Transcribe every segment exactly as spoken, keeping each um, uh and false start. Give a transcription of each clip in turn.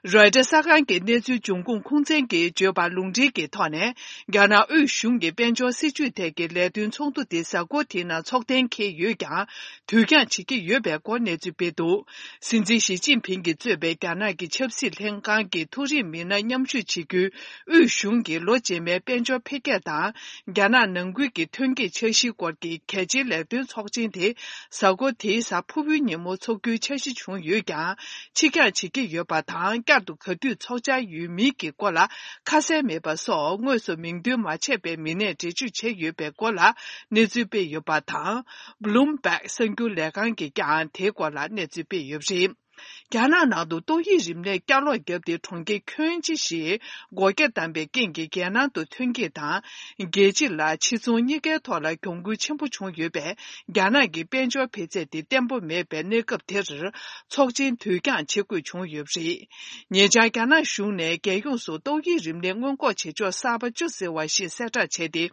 རོའི་ཊར་གསར་ཁང་གི་གནས་ཚུལ་འབྱུང་ཁུངས་ཁུངས་བཙན་གྱིས་བརྗོད་པར་ལུང་འདྲེན་གྱི་ཐོག་ནས། རྒྱ་ནག་དབུས་གཞུང་གི་དཔལ་འབྱོར་སྲིད་ཇུས་ཐད་ཀྱི་ལས་དོན་ཚོགས་འདུ་དེ་གཟའ་འཁོར་དེའི་ནང་འཚོགས་གཏན་འཁེལ་ཡོད་ཀྱང་། དུས་འགྱངས་བྱེད་ཀྱི་ཡོད་པའི་སྐོར་གནས་ཚུལ་སྤེལ་འདུག། སྲིད་འཛིན་ཞི་ཅིན་ཕིང་གིས་གཙོས་པའི་རྒྱ་ནག་གི་ཆབ་སྲིད་ལྷན་ཁང་གི་མཐོ་རིམ་མི་སྣ་མཉམ་ཞུགས་བྱེད་རྒྱུའི་དབུས་གཞུང་གི་ལོ་རྗེས་མའི་དཔལ་འབྱོར་འཕེལ་རྒྱས་དང་། རྒྱ་ནག་ནང་ཁུལ་གྱི་ཐོན་སྐྱེད་འཆར་གཞིའི་སྐོར་གྱི་གལ་ཆེའི་ལས་དོན་ཚོགས་ཆེན་དེ། གཟའ་འཁོར་དེའི་གཟའ་ཕུར་བུའི་ཉིན་མོ་འཚོགས་རྒྱུའི་འཆར་གཞི་བྱུང་ཡོད་ཀྱང་། ཕྱིར་འགྱངས་བྱེད་ཀྱི་ཡོད་པ་དང་། བསྐྱར་དུ་ག་དུས་འཚོགས་འཆར་ཡོད་མིན་གྱི་སྐོར་ལ་ཁ་གསལ་མེད་པ་སོགས། དངོས་སུ་མིང་འདོན་མ་བྱས་པའི་མི་སྣས་འགྲེལ་བརྗོད་བྱས་ཡོད་པའི་སྐོར་ལ་གནས་ཚུལ་སྤེལ་ཡོད་པ་དང་། Bloomberg གསར་འགྱུར་ལས་ཁང་གིས་ཀྱང་དེའི་སྐོར་ལ་གནས་ཚུལ་སྤེལ་ཡོད་པ་རེད། རྒྱ་ནག་ནང་དུ་ཏོག་དབྱིབས་རིམས་ནད་བསྐྱར་ལོག་བརྒྱབ་སྟེ། གྲོང་ཁྱེར་ཁྱོན་ཆེ་ཞིག་སྒོ་རྒྱ་བསྡམས་པའི་རྐྱེན་གྱིས། རྒྱལ་ནང་དུ་ཐོན་སྐྱེད་དང་། རྒྱལ་སྤྱི་ལ་ཕྱིར་ཚོང་གཉིས་ཀའི་ཐོག་ལ་གྱོང་གུན་ཆེན་པོ་བྱུང་ཡོད་པས། རྒྱ་ནག་གི་དཔལ་འབྱོར་འཕེལ་ཚད་དེ་བརྟན་པོ་མེད་པའི་གནས་སྐབས་དེར། ཚོགས་ཆེན་དུས་འགྱངས་བྱེད་དགོས་བྱུང་ཡོད་པ་རེད། ཉེ་ཆར་རྒྱ་ནག་གཞུང་ནས་རྒྱལ་ཡོངས་སུ་ཏོག་དབྱིབས་རིམས་ནད་སྔོན་འགོག་བྱེད་ཕྱོགས་གསར་པ་བཅུ་ཟེར་བ་ཞིག་གསལ་བསྒྲགས་བྱས་ཏེ།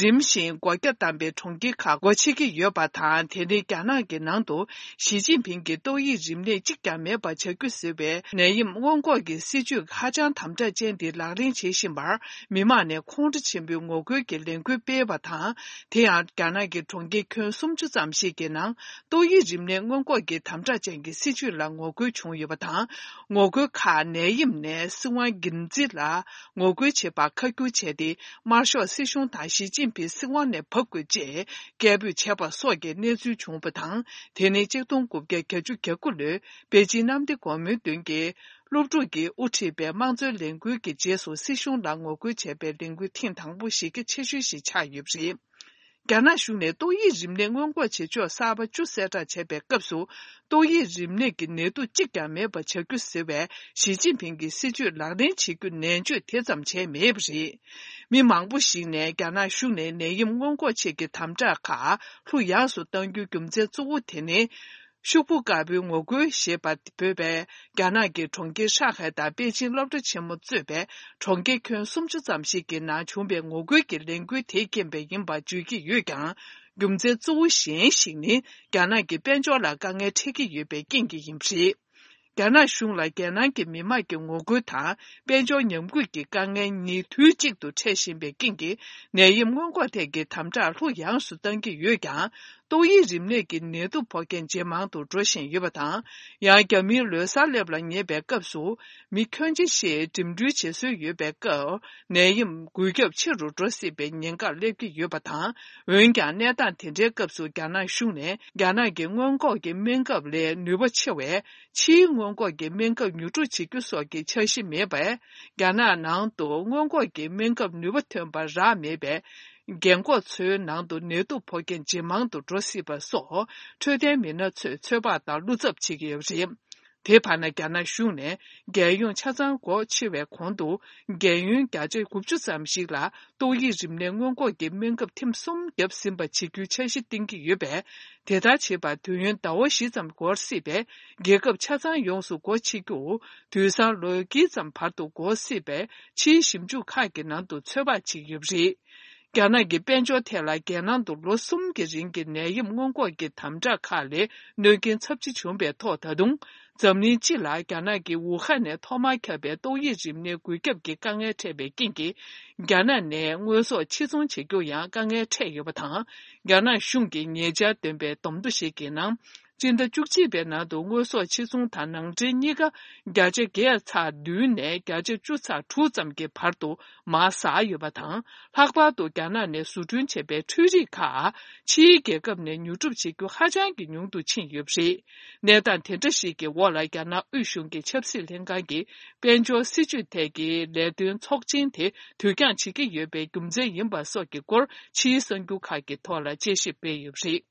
རིམ་བཞིན་སྒོ་རྒྱ་བསྡམས་པའི་གྲོང་ཁྱེར་ཁག་སྒོ་ཕྱེ་གི་ཡོད་པ་དང་། དེ་ནི་རྒྱ་ནག་གི་ནང་དུ་ཞི་ཅིན་ཕིང་གིས་ཏོག་དབྱིབས་རིམས་ནད་གཅིག་ཀྱང་མེད་པ་བྱ་རྒྱུ་ཟེར་བའི་ནད་ཡམས་སྔོན་འགོག་གི་སྲིད་ཇུས་ཧ་ཅང་དམ་དྲག་ཅན་དེ་ལག་ལེན་བྱེད་བཞིན་པར། མི་མང་ནས་ཁོང་ཁྲོ་ཆེན་པོས་ངོ་རྒོལ་གྱི་ལས་འགུལ་སྤེལ་བ་དང་། དེ་ཡང་རྒྱ་ནག་གི་གྲོང་ཁྱེར་ཁྱོན་སུམ་ཅུ་ཙམ་ཞིག་གི་ནང་ཏོག་དབྱིབས་རིམས་ནད་སྔོན་འགོག་གི་དམ་དྲག་ཅན་གྱི་སྲིད་ཇུས་ལ་ངོ་རྒོལ་བྱུང་ཡོད་པ་དང་། ངོ་རྒོལ་ཁག་ནད་ཡམས་ནས་སྲིད་དབང་སྒེར་འཛིན་ལ་ངོ་རྒོལ་བྱེད་པར་ཁ་བསྒྱུར་བྱས་ཏེ། དམར་ཤོག་སྲིད་གཞུང་དང་ཞི་ཅིན་ཕིང་སྲིད་དབང་ནས་བབས་དགོས་ཅེས་སྐད་འབོད་བྱས་པ་སོགས་ཀྱི་གནས་ཚུལ་བྱུང་བ་དང་། དེ་ནི་གཅིག་སྟོང་དགུ་བརྒྱ་གྱ་དགུ་ལོའི་པེ་ཅིན་གནམ་བདེ་སྒོ་མོའི་མདུན་གྱི་སློབ་ཕྲུག་གིས་དབུ་ཁྲིད་པའི་དམངས་གཙོའི་ལས་འགུལ་གྱི་རྗེས་སུ་སྲིད་གཞུང་ལ་ངོ་རྒོལ་བྱས་པའི་ལས་འགུལ་ཐེངས་དང་པོ་ཞེ་གལ་ཆེ་ཤོས་ཤིག་ཆགས་ཡོད་པ་རེད། རྒྱ་ནག་གཞུང་ནས་ཏོག་དབྱིབས་རིམས་ནད་སྔོན་འགོག་བྱེད་ཕྱོགས་གསར་པ་བཅུ་གསལ་བསྒྲགས་བྱས་པའི་སྐབས་སུ། ཏོག་དབྱིབས་རིམས་ནད་ཀྱི་ནད་དུག་གཅིག་ཀྱང་མེད་པ་བྱ་རྒྱུ་ཟེར་བའི་ཞི་ཅིན་ཕིང་གི་སྲིད་ཇུས་ལག་ལེན་བྱེད་རྒྱུ་ནན་བརྗོད་དེ་ཙམ་བྱས་མེད་པ་རེད། མི་མང་པོ་ཞིག་ནས་རྒྱ་ནག་གཞུང་ནས་ནད་ཡམས་སྔོན་འགོག་ཆེད་ཀྱི་དམ་དྲག་ཁག་ལྷུག་ཡངས་སུ་གཏང་རྒྱུའི་རྒྱུ་མཚན་གཙོ་བོ་དེ་ནི། ཤོག་བུ་དཀར་པོའི་ངོ་རྒོལ་ཞེས་པ་འབོད་པའི་རྒྱ་ནག་གི་གྲོང་ཁྱེར་ཧྲང་ཧའེ་དང་པེ་ཅིན་སློབ་གྲྭ་ཆེན་མོ་གཙོས་པའི་གྲོང་ཁྱེར་ཁྱོན་སུམ་ཅུ་ཙམ་ཞིག་གི་ནང་བྱུང་བའི་ངོ་རྒོལ་གྱི་ལས་འགུལ་དེའི་རྐྱེན་པས་ཡིན་པར་བརྗོད་ཀྱི་ཡོད་ཀྱང་། རྒྱུ་མཚན་གཙོ་བོ་གཞན་ཞིག་ནི་རྒྱ་ནག་གི་དཔལ་འབྱོར་ལ་དཀའ་ངལ་འཕྲད་ཀྱི་ཡོད་པའི་རྐྱེན་གྱིས་ཡིན་པ་རེད། རྒྱ་ནག་གཞུང་ལ་རྒྱལ་ནང་གི་མི་དམངས་ཀྱི་ངོ་རྒོལ་དང་དཔལ་འབྱོར་ཉམས་རྒུད་ཀྱི་དཀའ་ངལ་གཉིས་དུས་གཅིག་ཏུ་འཕྲད་བཞིན་པའི་རྐྱེན་གྱིས། ནད་ཡམས་སྔོན་འགོག་ཐད་ཀྱི་དམ་དྲག་ལྷུག་ཡངས་སུ་གཏང་གི་ཡོད་ཀྱང་། ཏོག་དབྱིབས་རིམས་ནད་ཀྱི་ནད་དུག་ཕོག་མཁན་ཇེ་མང་དུ་འགྲོ་བཞིན་ཡོད་པ་དང་། ཡང་རྒྱ་མིའི་ལོ་གསར་སླེབས་ལ་ཉེ་བའི་སྐབས་སུ། མི་ཁྱོན་ཆེ་ཞིག་འགྲིམ་འགྲུལ་བྱེད་སྲོལ་ཡོད་པའི་སྐབས། ནད་ཡམས་འགོས་ཁྱབ་ཆེ་རུ་འགྲོ་སྲིད་པའི་ཉེན་ཁར་སླེབས་ཀྱི་ཡོད་པ་དང་། འོན་ཀྱང་། གནས་སྟངས་དེ་འདྲའི་སྐབས་སུ། རྒྱ་ནག་གཞུང་ནས་རྒྱ་ནག་གི་སྔོན་འགོག་གི་སྨན་ཁབ་ལས་ནུས་པ་ཆེ་བའི། ཕྱིའི་སྔོན་འགོག་གི་སྨན་ཁབ་ཉོ་སྒྲུབ་བྱེད་རྒྱུ་སོགས་ཀྱི་འཆར་གཞི་མེད་པས། རྒྱ་ནག་ནང་དུ་སྔོན་འགོག་གི་སྨན་ཁབ་ནུས་པ་ཐོན་པ་རག་མེད་པས། རྒན་འཁོགས་ཚོའི་ནང་དུ་ནད་དུག་ཕོག་མཁན་ཇེ་མང་དུ་འགྲོ་སྲིད་པ་སོགས། འཕྲོད་བསྟེན་མི་སྣ་ཚོས་ཚོད་དཔག་དང་བློ་འཚབ་བྱེད་ཀྱི་ཡོད་པ་རེད། དེ་བར་ན། རྒྱ་ནག་གཞུང་ནས་རྒྱལ་ཡོངས་ཆ་ཚང་སྒོ་ཕྱེ་བའི་གོང་དུ། རྒན་ཡོལ་བརྒྱ་ཆ་དགུ་བཅུ་ཙམ་ཞིག་ལ་ཏོག་དབྱིབས་རིམས་ནད་སྔོན་འགོག་གི་སྨན་ཁབ་ཐེངས་གསུམ་བརྒྱབ་ཟིན་པ་བྱེད་རྒྱུའི་འཆར་གཞི་བཏིང་གི་ཡོད་པས། དེ་ལྟར་བྱེད་པར་དུས་ཡུན་ཟླ་བ་བཞི་ཙམ་འགོར་སྲིད་པས། རྒྱལ་ཁབ་ཆ་ཚང་ཡོངས་སུ་སྒོ་ཕྱེ་རྒྱུ། དུས་སང་ལོ་དཀྱིལ་ཙམ་བར་དུ་འགོར་སྲིད་པས། ཕྱིའི་ཞིབ་འཇུག་ཁག་གི་ནང་དུ་ཚོད་དཔག་བྱེད་ཀྱི་ཡོད་པ་རེད། རྒྱ་ནག་གི་དཔལ་འབྱོར་ཐད་ལ། རྒྱལ་ནང་དུ་ལོ་གསུམ་གྱི་རིང་གི་ནད་ཡམས་སྔོན་འགོག་གི་དམ་དྲག་ཁག་ལས་གནོད་རྐྱེན་ཚབས་ཆེ་བྱུང་བའི་ཐོག། ད་དུང་། འཛམ་གླིང་སྤྱི་ལ་རྒྱ་ནག་གི་ཝུ་ཧན་ནས་ཐོག་མར་ཁྱབ་པའི་ཏོག་དབྱིབས་རིམས་ནད་འགོས་ཁྱབ་ཀྱི་དཀའ་ངལ་འཕྲད་པའི་རྐྱེན་གྱིས། རྒྱ་ནག་ནས་དངོས་ཟོག་ཕྱིར་ཚོང་བྱེད་རྒྱུ་ཡང་དཀའ་ངལ་འཕྲད་ཡོད་པ་དང་། རྒྱ་ནག་གཞུང་གིས་ཉེ་ཆར་བཏོན་པའི་བསྡོམས་ཐོ་ཞིག་གི་ནང་། སྤྱི་ཟླ་བཅུ་གཅིག་པའི་ནང་དུ་དངོས་ཟོག་ཕྱིར་ཚོང་དང་ནང་འདྲེན་གཉིས་ཀ་བརྒྱ་ཆ་བརྒྱད་ཚེག་བདུན་ནས་བརྒྱ་ཆ་བཅུ་ཚེག་དྲུག་ཙམ་གྱི་བར་དུ་མར་ཟག་ཡོད་པ་དང་། ལྷག་པར་དུ་རྒྱ་ནག་ནས་བཟོ་སྐྲུན་བྱས་པའི་འཕྲུལ་རིགས་ཁག་ཕྱིའི་རྒྱལ་ཁབ་ནས་ཉོ་སྒྲུབ་བྱེད་རྒྱུ་ཧ་ཅང་གི་ཉུང་དུ་ཕྱིན་ཡོད་པ་རེད། གནས་སྟངས་དེ་འདྲ་ཞིག་གི་འོག་ལ། རྒྱ་ནག་དབུས་གཞུང་གི་ཆབ་སྲིད་ལྷན་ཁང་གིས་དཔལ་འབྱོར་སྲིད་ཇུས་ཐད་ཀྱི་ལས་དོན་ཚོགས་ཆེན་དེ་དུས་འགྱངས་བྱེད་ཀྱི་ཡོད་པའི་རྒྱུ་མཚན་ཡིན་པ་སོགས་ཀྱི་སྐོར་ཕྱིའི་གསར་འགྱུར་ཁག་གི་ཐོག་ལ་དཔྱད་ཞིབ་སྤེལ་ཡོད་པ་རེད།